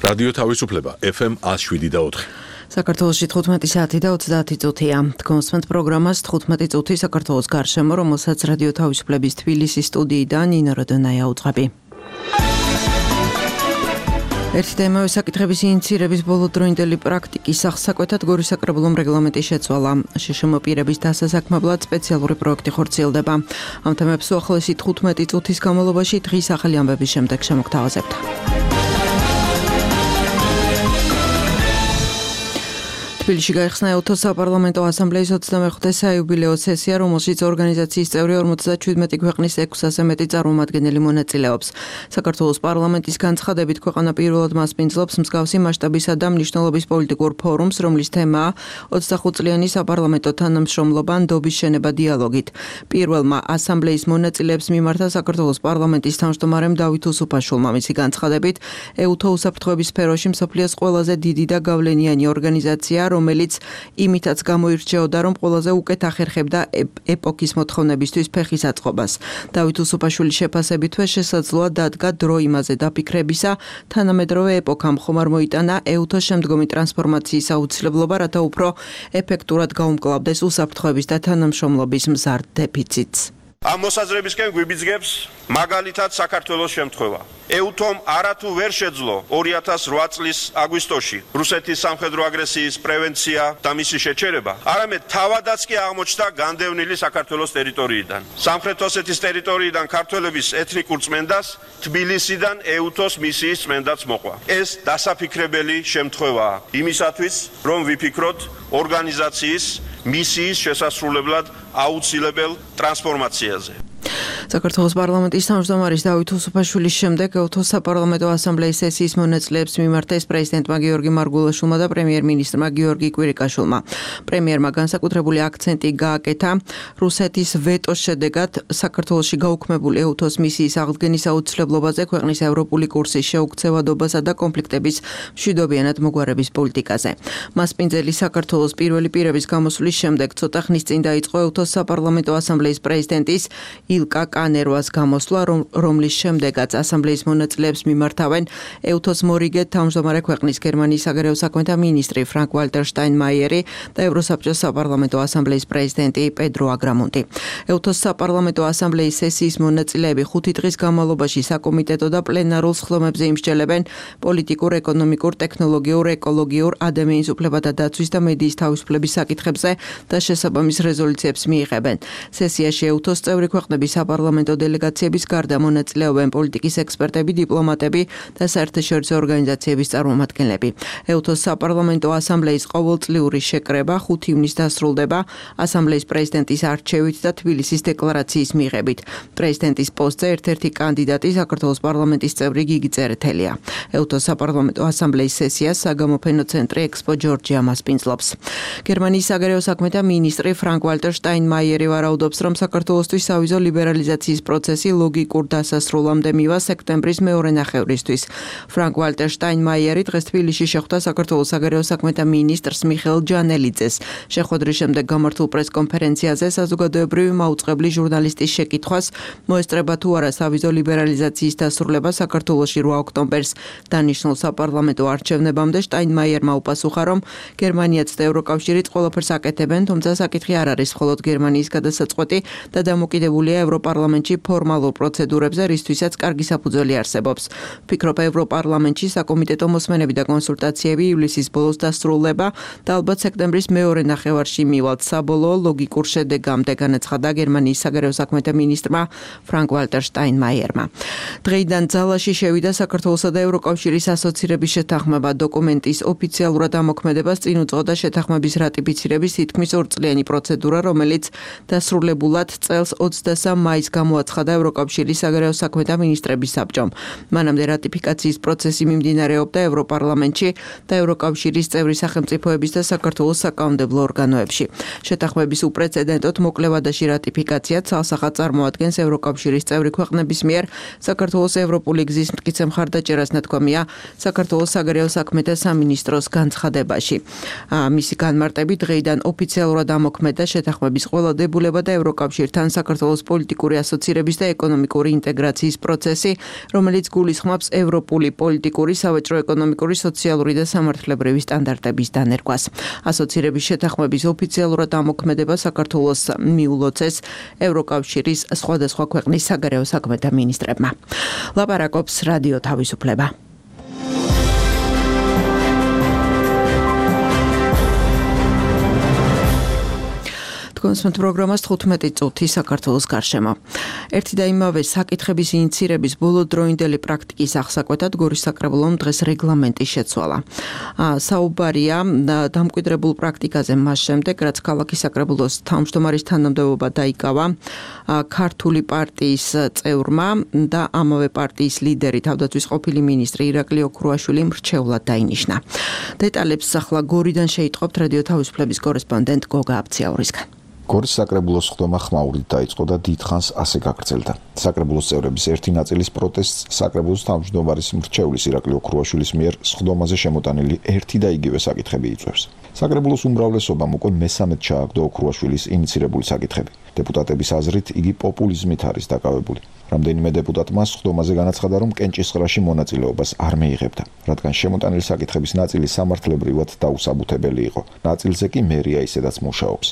რადიო თავისუფლება FM 107.4. საქართველოში 15 საათი და 30 წუთია. კონსმენთ პროგრამას 15 წუთი საქართველოს გარშემო, რომელსაც რადიო თავისუფლების თბილისის სტუდიიდან ნინო როდონაია უძღვები. ერთი და იმავე საკითხების ინიციირების ბოლოდროინდელი პრაქტიკის აღსაკვეთად გორის საკრებულომ რეგლამენტი შეცვალა. შშმ პირების დასასაქმებლად სპეციალური პროექტი ხორციელდება. ამ თემებს უახლოესი 15 წუთის განმავლობაში დღის ახალი ამბების შემდეგ შემოგთავაზებთ. თბილისში გაიხსნა ეუთოს საპარლამენტო ასამბლეის 25-ე საიუბილეო სესია, რომელშიც ორგანიზაციის წევრი 57 ქვეყნის 600-ზე მეტი წარმომადგენელი მონაწილეობს. საქართველოს პარლამენტის განცხადებით ქვეყანა პირველად მასპინძლობს მსგავსი მასშტაბისა და მნიშვნელობის პოლიტიკურ ფორუმს, რომლის თემაა 25 წლიანი საპარლამენტო თანამშრომლობა ნდობის შენება დიალოგით. პირველმა ასამბლეის მონაწილეებს მიმართა საქართველოს პარლამენტის თავმჯდომარემ დავით უსუფაშვილმა. მისი განცხადებით, ეუთო უსაფრთხოების სფეროში მსოფლიოს ყველაზე დიდი და გავლენიანი ორგანიზაცია, რომელიც იმითაც გამოირჩეოდა, რომ ყველაზე უკეთ ახერხებდა ეპოქის მოთხოვნებისთვის ფეხის აწყობას. დავით უსუფაშვილის შეფასებითვე შესაძლოა დადგა დრო იმაზე დაფიქრებისა, თანამედროვე ეპოქამ ხომ არ მოიტანა ეუთოს შემდგომი ტრანსფორმაციის აუცილებლობა, რათა უფრო ეფექტურად გაუმკლავდეს უსაფრთხოების და თანამშრომლობის მზარდ დეფიციტს. ამ მოსაზრებისკენ გვიბიძგებს მაგალითად საქართველოს შემთხვევა. ეუთომ არათუ ვერ შეძლო 2008 წლის აგვისტოში რუსეთის სამხედრო აგრესიის პრევენცია და მისი შეჩერება, არამედ თავადაც კი აღმოჩნდა განდევნილი საქართველოს ტერიტორიიდან. სამხრეთ ოსეთის ტერიტორიიდან ქართველების ეთნიკურ წმენდას თბილისიდან ეუთოს მისიის წმენდაც მოყვა. ეს დასაფიქრებელი შემთხვევაა იმისათვის, რომ ვიფიქროთ ორგანიზაციის მისიის შესასრულებლად აუცილებელ ტრანსფორმაციაზე. საქართველოს პარლამენტის თავმჯდომარის დავით უსუფაშვილის შემდეგ ეუთოს საპარლამენტო ასამბლეის სესიის მონაწილეებს მიმართეს პრეზიდენტმა გიორგი მარგულაშვილმა და პრემიერ-მინისტრმა გიორგი კვირიკაშვილმა. პრემიერმა განსაკუთრებული აქცენტი გააკეთა რუსეთის ვეტოს შედეგად საქართველოში გაუქმებული ეუთოს მისიის აღდგენის აუცილებლობაზე, ქვეყნის ევროპული კურსის შეუქცევადობასა და კონფლიქტების მშვიდობიანად მოგვარების პოლიტიკაზე. მასპინძელი საქართველოს პირველი პირების გამოსვლის შემდეგ ცოტა ხნის წინ დაიწყო ეუთოს საპარლამენტო ასამბლეის პრეზიდენტის ილკა კანერვას გამოსვლა, რომლის შემდეგაც ასამბლეის მონაწილეებს მიმართავენ ეუთოს მორიგე თავმჯდომარე ქვეყნის გერმანიის საგარეო საქმეთა მინისტრი ფრანკ ვალტერ შტაინმაიერი და ევროსაბჭოს საპარლამენტო ასამბლეის პრეზიდენტი პედრო აგრამონტი. ეუთოს საპარლამენტო ასამბლეის სესიის მონაწილეები 5 დღის განმავლობაში საკომიტეტო და პლენარულ სხდომებზე იმსჯელებენ პოლიტიკურ, ეკონომიკურ, ტექნოლოგიურ, ეკოლოგიურ, ადამიანის უფლებათა დაცვის და მედიის თავისუფლების საკითხებზე და შესაბამის რეზოლუციებს მიიღებენ. სესიაში ეუთოს წევრი ქვეყნების საპარლამენტო დელეგაციების გარდა მონაწილეობენ პოლიტიკის ექსპერტები, დიპლომატები და საერთაშორისო ორგანიზაციების წარმომადგენლები. ეუთოს საპარლამენტო ასამბლეის ყოველწლიური შეკრება 5 ივნისს დასრულდება ასამბლეის პრეზიდენტის არჩევით და თბილისის დეკლარაციის მიღებით. პრეზიდენტის პოსტზე ერთ-ერთი კანდიდატი საქართველოს პარლამენტის წევრი გიგი წერეთელია. ეუთოს საპარლამენტო ასამბლეის სესიას საგამოფენო ცენტრი ექსპო ჯორჯია მასპინძლობს. გერმანიის საგარეო საქმეთა მინისტრი ფრანკ ვალტერ შტაინმაიერი ვარაუდობს, რომ საქართველოსთვის სავიზო ლიბერალიზაციის პროცესი ლოგიკურ დასასრულამდე მივა სექტემბრის მეორე ნახევრისთვის. ფრანკ ვალტერ შტაინმაიერი დღეს თბილისში შეხვდა საქართველოს საგარეო საქმეთა მინისტრს მიხეილ ჯანელიძეს. შეხვედრის შემდეგ გამართულ პრესკონფერენციაზე საზოგადოებრივი მაუწყებლი ჟურნალისტის შეკითხვას, მოესწრება თუ არა სავიზო ლიბერალიზაციის დასრულება საქართველოში 8 ოქტომბერს დანიშნულ საპარლამენტო არჩევნებამდე, შტაინმაიერმა უპასუხა, რომ გერმანიაც და ევროკავშირიც ყველაფერს აკეთებენ, თუმცა საკითხი არ არის მხოლოდ გერმანიის გადასაწყვეტი და დამოკიდებულია ევროპარლამენტში ფორმალურ პროცედურებზე, რისთვისაც კარგი საფუძველი არსებობს. ვფიქრობ, ევროპარლამენტში საკომიტეტო მოსმენები და კონსულტაციები ივლისის ბოლოს დასრულდება და ალბათ სექტემბრის მეორე ნახევარში მივალთ საბოლოო ლოგიკურ შედეგამდე, განაცხადა გერმანიის საგარეო საქმეთა მინისტრმა ფრანკ ვალტერ შტაინმაიერმა. დღეიდან ძალაში შევიდა საქართველოსა და ევროკავშირის ასოცირების შეთანხმება. დოკუმენტის ოფიციალურად ამოქმედებას წინ უძღოდა შეთანხმების რატიფიცირების თითქმის 2 წლიანი პროცედურა, რომელიც დასრულებულად წელს 23 მაისს გამოაცხადა ევროკავშირის საგარეო საქმეთა მინისტრების საბჭომ. მანამდე რატიფიკაციის პროცესი მიმდინარეობდა ევროპარლამენტში და ევროკავშირის წევრი სახელმწიფოების და საქართველოს საკანონმდებლო ორგანოებში. შეთანხმების უპრეცედენტოდ მოკლევადაში რატიფიკაცია ცალსახად წარმოადგენს ევროკავშირის წევრი ქვეყნების მიერ საქართველოს ევროპული გზის მტკიცე მხარდაჭერას, ნათქვამია საქართველოს საგარეო საქმეთა სამინისტროს განცხადებაში. მისი განმარტებით დღეიდან ოფიციალურად ამოქმედა შეთანხმების ყველა დებულება და ევროკავშირთან საქართველოს პოლიტიკური ასოცირების და ეკონომიკური ინტეგრაციის პროცესი, რომელიც გულისხმობს ევროპული პოლიტიკური, სავაჭრო-ეკონომიკური, სოციალური და სამართლებრივი სტანდარტების დანერგვას. ასოცირების შეთანხმების ოფიციალურად ამოქმედება საქართველოს მიულოცეს ევროკავშირის სხვადასხვა ქვეყნის საგარეო საქმეთა მინისტრებმა. ლაპარაკობს რადიო თავისუფლება. კონსმეთ პროგრამას 15 წუთი საქართველოს გარშემო. ერთი და იმავე საკითხების ინიცირების ბოლოდროინდელი პრაქტიკის აღსაკვეთად გორის საკრებულომ დღეს რეგლამენტი შეცვალა. საუბარია დამკვიდრებულ პრაქტიკაზე მას შემდეგ, რაც ქალაქის საკრებულოს თავმჯდომარის თანამდებობა დაიკავა ქართული პარტიის წევრმა და ამავე პარტიის ლიდერი თავდაცვის ყოფილი მინისტრი ირაკლი ოქრუაშვილი მრჩევლად დაინიშნა. დეტალებს ახლა გორიდან შეიტყობთ რადიო თავისუფლების კორესპონდენტ გოგა აბციაურისგან. გორის საკრებულოს ხდომა ხმაურით დაიწყო და დიდხანს ასე გაგრძელდა. საკრებულოს წევრების ერთი ნაწილის პროტესტს საკრებულოს თავმჯდომარის მრჩევლის ირაკლი ოქრუაშვილის მიერ ხდომაზე შემოტანილი ერთი და იგივე საკითხები იწვევს. საკრებულოს უმრავლესობამ უკვე მესამედ ჩააგდო ოქრუაშვილის ინიცირებული საკითხები. დეპუტატების აზრით იგი პოპულიზმით არის დაკავებული. რამდენიმე დეპუტატმა ხდომაზე განაცხადა, რომ კენჭისყრაში მონაწილეობას არ მიიღებდა, რადგან შემოტანილი საკითხების ნაწილი სამართლებრივად დაუსაბუთებელი იყო. ნაწილზე კი მერია ისედაც მუშაობს.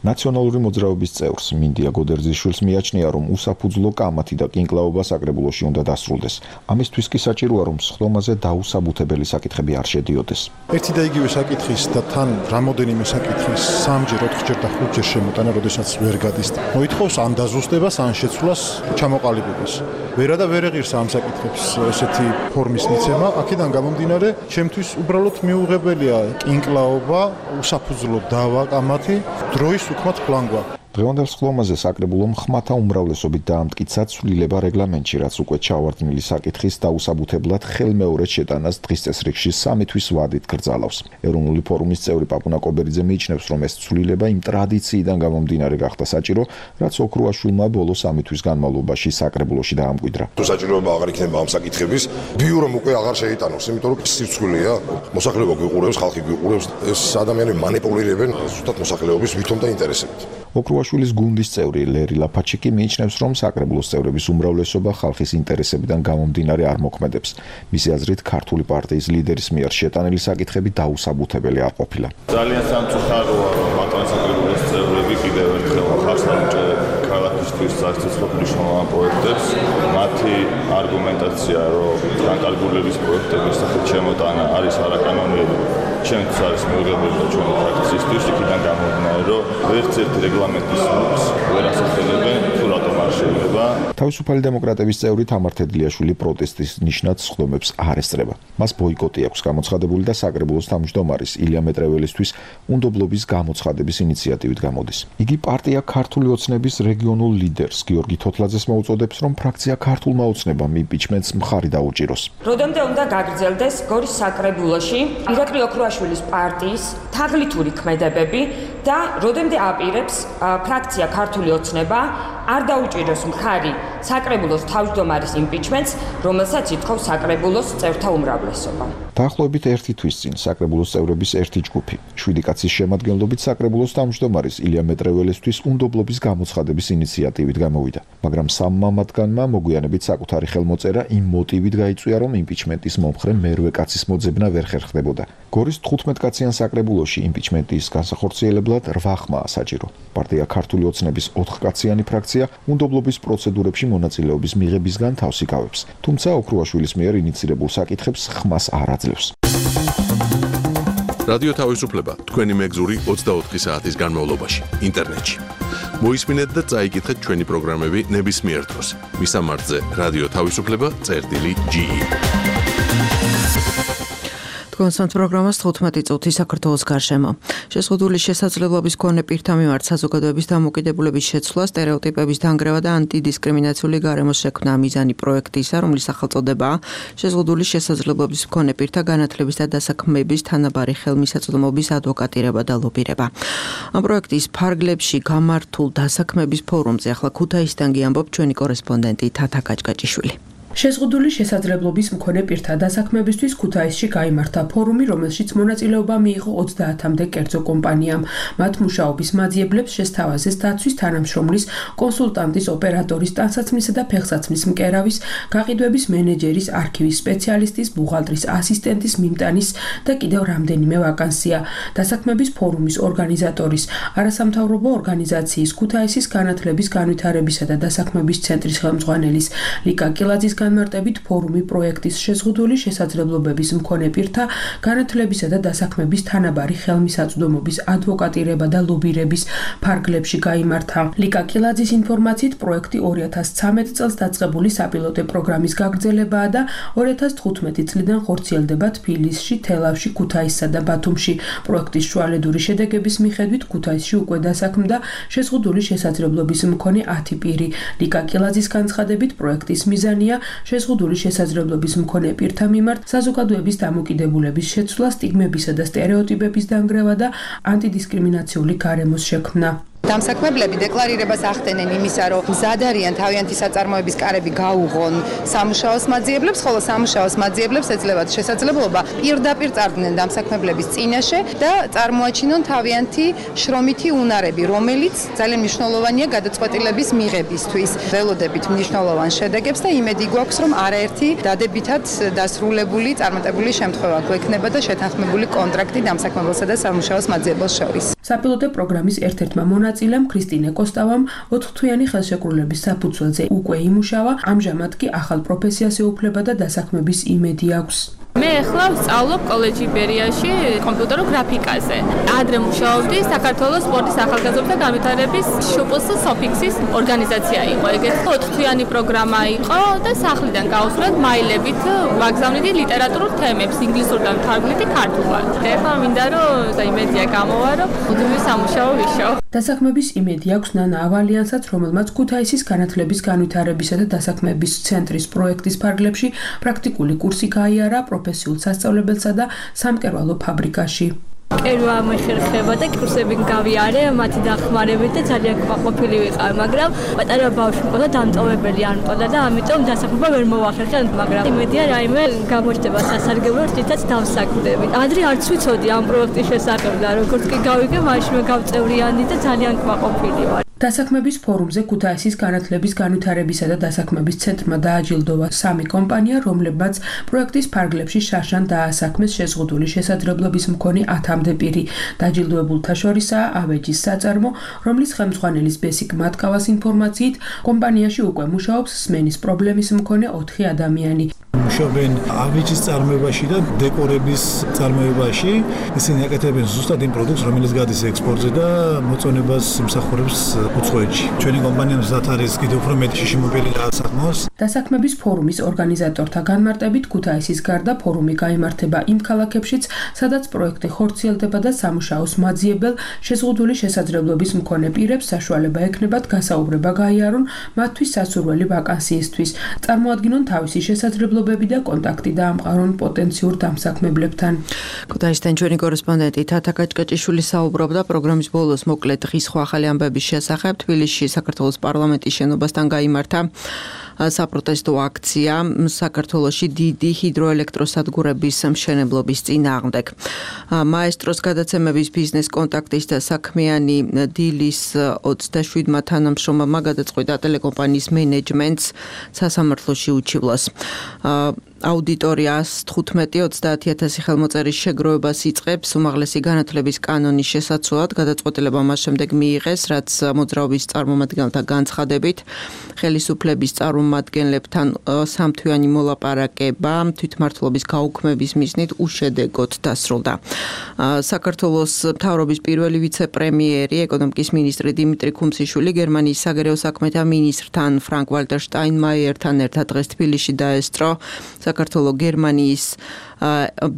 ნაციონალური მოძრაობის წევრს მინდია გოდერძიშვილს მიაჩნია, რომ უსაფუძვლო კამათი და კინკლაობა საკრებულოში უნდა დასრულდეს. ამისთვის კი საჭიროა, რომ ხდომაზე დაუსაბუთებელი საკითხები არ შედიოდეს. ერთი და იგივე საკითხის და თან რამოდენიმე საკითხის 3-ჯერ, 4-ჯერ და 5-ჯერ შემოტანა, როდესაც ვერ გადის. მოითხოვს ან დაზუსტებას, ან შეცვლას, ჩამოყალიბებას. ვერა და ვერ ეღირს ამ საკითხებს ესეთი ფორმის მიცემა. აქედან გამომდინარე, ჩემთვის უბრალოდ მიუღებელია კინკლაობა, უსაფუძვლო დავა კამათი, დროის უკმათ ფლანგვა. დღევანდელ ხდომაზე საკრებულომ ხმათა უმრავლესობით დაამტკიცა ცვლილება რეგლამენტში, რაც უკვე ჩავარდნილი საკითხის დაუსაბუთებლად ხელმეორედ შეტანას დღის წესრიგში 3 თვის ვადით გრძალავს. ეროვნული ფორუმის წევრი პაპუნა კობერიძე მიიჩნევს, რომ ეს ცვლილება იმ ტრადიციიდან გამომდინარე გახდა საჭირო, რაც ოქრუაშვილმა ბოლო 3 თვის განმავლობაში საკრებულოში დაამკვიდრა. თუ საჭიროება აღარ იქნება ამ საკითხების, ბიურომ უკვე აღარ შეიტანოს, იმიტომ რომ სიცხვილია, მოსახლეობა გვიყურებს, ხალხი გვიყურებს, ეს ადამიანები მანიპულირებენ ზუსტად მოსახლეობის ვითომ და ინტერესებით. ოქრუაშვილის გუნდის წევრი ლერი ლაფაჩიკი მიიჩნევს, რომ საკრებულოს წევრების უმრავლესობა ხალხის ინტერესებიდან გამომდინარე არ მოქმედებს. მისი აზრით, ქართული პარტიის ლიდერის მიერ შეტანილი საკითხები დაუსაბუთებელი არ ყოფილა. ძალიან სამწუხაროა, რომ მათი საკრებულოს წევრები კიდევ ერთხელ ხარსაუჭერ ქალაქისთვის საერთო მნიშვნელოვან პროექტებს. მათი არგუმენტაცია, რომ განკარგულების პროექტების სახით შემოტანა არის არაკანონიერი, ჩვენთვის არის მიუღებელი და ჩვენი ფრაქციისთვის იქიდან გამომდინარე, რომ ვერც ერთი რეგლამენტის ნორმას ვერ ასახელებენ, თუ რატომ არ შეიძლება. თავისუფალი დემოკრატების წევრი თამარ თედლიაშვილი პროტესტის ნიშნად ხდომებს არ ესწრება. მას ბოიკოტი აქვს გამოცხადებული და საკრებულოს თავმჯდომარის ილია მეტრეველისთვის უნდობლობის გამოცხადების ინიციატივით გამოდის. იგი პარტია ქართული ოცნების რეგიონულ ლიდერს გიორგი თოთლაძეს მოუწოდებს, რომ ფრაქცია ქართულმა ოცნებამ იმპიჩმენტს მხარი დაუჭიროს. როდემდე უნდა გაგრძელდეს გორის საკრებულოში ირაკლი ოქრუაშვილის პარტიის თაღლითური ქმედებები და როდემდე აპირებს ფრაქცია ქართული ოცნება არ დაუჭიროს მხარი საკრებულოს თავმჯდომარის იმპიჩმენტს, რომელსაც ითხოვს საკრებულოს წევრთა უმრავლესობა. დაახლოებით 1 თვის წინ საკრებულოს წევრების ერთი ჯგუფი 7 კაცის შემადგენლობით საკრებულოს თავმჯდომარის ილია მეტრეველისთვის უნდობლობის გამოცხადების ინიციატივით გამოვიდა, მაგრამ სამმა მათგანმა მოგვიანებით საკუთარი ხელმოწერა იმ მოტივით გაიწვია, რომ იმპიჩმენტის მომხრე მერვე კაცის მოძებნა ვერ ხერხდებოდა. გორის 15 კაციან საკრებულოში იმპიჩმენტის განსახორციელებლად 8 ხმაა საჭირო. პარტია ქართული ოცნების 4 კაციანი ფრაქცია უნდობლობის პროცედურებში მონაწილეობის მიღებისგან თავს იკავებს, თუმცა ოქრუაშვილის მიერ ინიცირებულ საკითხებს ხმას არ აძლევს. რადიო თავისუფლება თქვენი მეგზური 24 საათის განმავლობაში ინტერნეტში. მოისმინეთ და წაიკითხეთ ჩვენი პროგრამები ნებისმიერ დროს. მისამართზე რადიო თავისუფლება.ge კონსტანტ პროგრამას 15 წუთი საქართველოს გარშემო. შეზღუდული შესაძლებლობის მქონე პირთა მიმართ საზოგადოების დამოკიდებულების შეცვლა, სტერეოტიპების დანგრევა და ანტიდისკრიმინაციული გარემოს შექმნა მიზანი პროექტისა, რომლის სახელწოდებაა შეზღუდული შესაძლებლობის მქონე პირთა განათლების და დასაქმების თანაბარი ხელმისაწვდომობის ადვოკატირება და ლობირება. ამ პროექტის ფარგლებში გამართულ დასაქმების ფორუმზე ახლა ქუთაისიდან გიამბობ ჩვენი კორესპონდენტი თათა კაჭკაჭიშვილი. შეზღუდული შესაძლებლობის მქონე პირთა დასაქმებისთვის ქუთაისში გაიმართა ფორუმი, რომელშიც მონაწილეობა მიიღო 30-მდე კერძო კომპანიამ. მათ მუშაობის მაძიებლებს შესთავაზეს დაცვის თანამშრომლის, კონსულტანტის, ოპერატორის, ტანსაცმლისა და ფეხსაცმლის მკერავის, გაყიდვების მენეჯერის, არქივის სპეციალისტის, ბუღალტრის ასისტენტის, მიმტანის და კიდევ რამდენიმე ვაკანსია. დასაქმების ფორუმის ორგანიზატორის, არასამთავრობო ორგანიზაციის ქუთაისის განათლების, განვითარებისა და დასაქმების ცენტრის ხელმძღვანელის ლიკა კილაძის განმარტებით ფორუმი პროექტის შეზღუდული შესაძლებლობების მქონე პირთა განათლებისა და დასაქმების თანაბარი ხელმისაწვდომობის ადვოკატირება და ლობირების ფარგლებში გაიმართა. ლიკა კილაძის ინფორმაციით პროექტი 2013 წელს დაწყებული საპილოტო პროგრამის გაგრძელებაა და 2015 წლიდან ხორციელდება თბილისში, თელავში, ქუთაისსა და ბათუმში. პროექტის შუალედური შედეგების მიხედვით ქუთაისში უკვე დასაქმდა შეზღუდული შესაძლებლობის მქონე 10 პირი. ლიკა კილაძის განცხადებით პროექტის მიზანია შეზღუდული შესაძლებლობის მქონე პირთა მიმართ საზოგადოების დამოკიდებულების შეცვლა, სტიგმებისა და სტერეოტიპების დანგრევა და ანტიდისკრიმინაციული გარემოს შექმნა. დამსაქმებლები დეკლარირებას ახდენენ იმისა, რომ მზად არიან თავიანთი საწარმოების კარები გაუღონ სამუშაოს მაძიებლებს, ხოლო სამუშაოს მაძიებლებს ეძლევათ შესაძლებლობა პირდაპირ წარდგნენ დამსაქმებლების წინაშე და წარმოაჩინონ თავიანთი შრომითი უნარები, რომელიც ძალიან მნიშვნელოვანია გადაწყვეტილების მიღებისთვის. ველოდებით მნიშვნელოვან შედეგებს და იმედი გვაქვს, რომ არაერთი დადებითად დასრულებული წარმატებული შემთხვევა გვექნება და შეთანხმებული კონტრაქტი დამსაქმებელსა და სამუშაოს მაძიებელს შორის. საპილოტო პროგრამის ერთ-ერთმა მონაწილემ ქრისტინე კოსტავამ 4-თვიანი ხელშეკრულების საფუძველზე უკვე იმუშავა, ამჟამად კი ახალ პროფესიას ეუფლება და დასაქმების იმედი აქვს. მე ახლა ვსწავლობ კოლეჯი ბერიაში კომპიუტერულ გრაფიკაზე. ადრე მუშაობდი საქართველოს სპორტის ახალგაზრდთა განვითარების შპს სოფიქსის ორგანიზაცია იყო. ეგეთი 4-თვიანი პროგრამა იყო და სახლიდან გავუსვლეთ მაილებით ვაგზავნიდი ლიტერატურულ თემებს ინგლისურიდან თარგმნიდი ქართულად. ეხლა მინდა რომ იმედია გამოვა, რომ მუდმივი სამუშაო ვიშო. დასაქმების იმედი აქვს ნანა ავალიანსაც, რომელმაც ქუთაისის განათლების, განვითარებისა და დასაქმების ცენტრის პროექტის ფარგლებში პრაქტიკული კურსი გაიარა პროფესიულ სასწავლებელსა და სამკერვალო ფაბრიკაში. კერვა მეხერხება და კურსები გავიარე, მათი დახმარებით და ძალიან კმაყოფილი ვიყავ, მაგრამ პატარა ბავშვი მყავდა და დამტოვებელი არ მყავდა და ამიტომ დასაქმება ვერ მოვახერხე, მაგრამ იმედია რაიმე გამოჩნდება სასარგებლო რითაც დავსაქმდები. ადრე არც ვიცოდი ამ პროექტის შესახებ და როგორც კი გავიგე, მაშინვე გავწევრიანდი და ძალიან კმაყოფილი ვარ. დასაქმების ფორუმზე ქუთაისის განათლების, განვითარებისა და დასაქმების ცენტრმა დააჯილდოვა 3 კომპანია, რომლებმაც პროექტის ფარგლებში შარშან დაასაქმეს შეზღუდული შესაძლებლობის მქონე 10-მდე პირი. დაჯილდოებულთა შორისაა ავეჯის საწარმო, რომლის ხელმძღვანელის ბესიკ მათკავას ინფორმაციით, კომპანიაში უკვე მუშაობს სმენის პრობლემის მქონე 4 ადამიანი. მუშაობენ ავეჯის წარმოებაში და დეკორების წარმოებაში. ისინი აკეთებენ ზუსტად იმ პროდუქტს, რომელიც გადის ექსპორტზე და მოწონებას იმსახურებს უცხოეთში. ჩვენი კომპანია მზად არის კიდევ უფრო მეტი შიშიმობილი დაასაქმოს. დასაქმების ფორუმის ორგანიზატორთა განმარტებით ქუთაისის გარდა ფორუმი გაიმართება იმ ქალაქებშიც, სადაც პროექტი ხორციელდება და სამუშაოს მაძიებელ შეზღუდული შესაძლებლობის მქონე პირებს საშუალება ექნებათ გასაუბრება გაიარონ მათთვის სასურველი ვაკანსიისთვის, წარმოადგინონ თავისი შესაძლებლობები და კონტაქტი დაამყარონ პოტენციურ დამსაქმებლებთან. ქუთაისთან ჩვენი კორესპონდენტი თათა კაჭკაჭიშვილი საუბრობდა პროგრამის ბოლოს მოკლედ დღის სხვა ახალი ამბების შესახებ. თბილისში საქართველოს პარლამენტის შენობასთან გაიმართა საპროტესტო აქცია საქართველოში დიდი ჰიდროელექტროსადგურების მშენებლობის წინააღმდეგ. მაესტროს გადაცემების ბიზნეს კონტაქტის და საქმიანი დილის 27-მა თანამშრომელმა გადაწყვიტა ტელეკომპანიის მენეჯმენტს სასამართლოში უჩივლოს. აუდიტორიას 15-30000 ხელმოწერის შეგროვებას იწყებს უმაღლესი განათლების კანონის შესაცვლად. გადაწყვეტილება მას შემდეგ მიიღეს, რაც მოძრაობის წარმომადგენელთა განცხადებით ხელისუფლების წარმომადგენლებთან 3-თვიანი მოლაპარაკება თვითმმართველობის გაუქმების მიზნით უშედეგოდ დასრულდა. საქართველოს მთავრობის პირველი ვიცე-პრემიერი, ეკონომიკის მინისტრი დიმიტრი ქუმსიშვილი გერმანიის საგარეო საქმეთა მინისტრთან ფრანკ ვალტერ შტაინმაიერთან ერთად დღეს თბილისში დაესწრო საქართველოს გერმანიის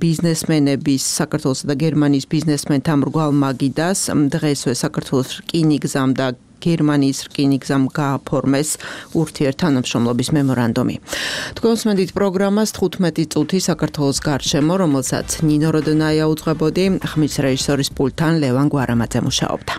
ბიზნესმენების საქართველოსა და გერმანიის ბიზნესმენთა მრგვალ მაგიდას. დღესვე საქართველოს რკინიგზამ და გერმანიის რკინიგზამ გააფორმეს ურთიერთთანამშრომლობის მემორანდუმი. თქვენ უსმენთ პროგრამას 15 წუთი საქართველოს გარშემო, რომელსაც ნინო როდონაია უძღვებოდი, ხმის რეჟისორის პულტთან ლევან გვარამაძე მუშაობდა.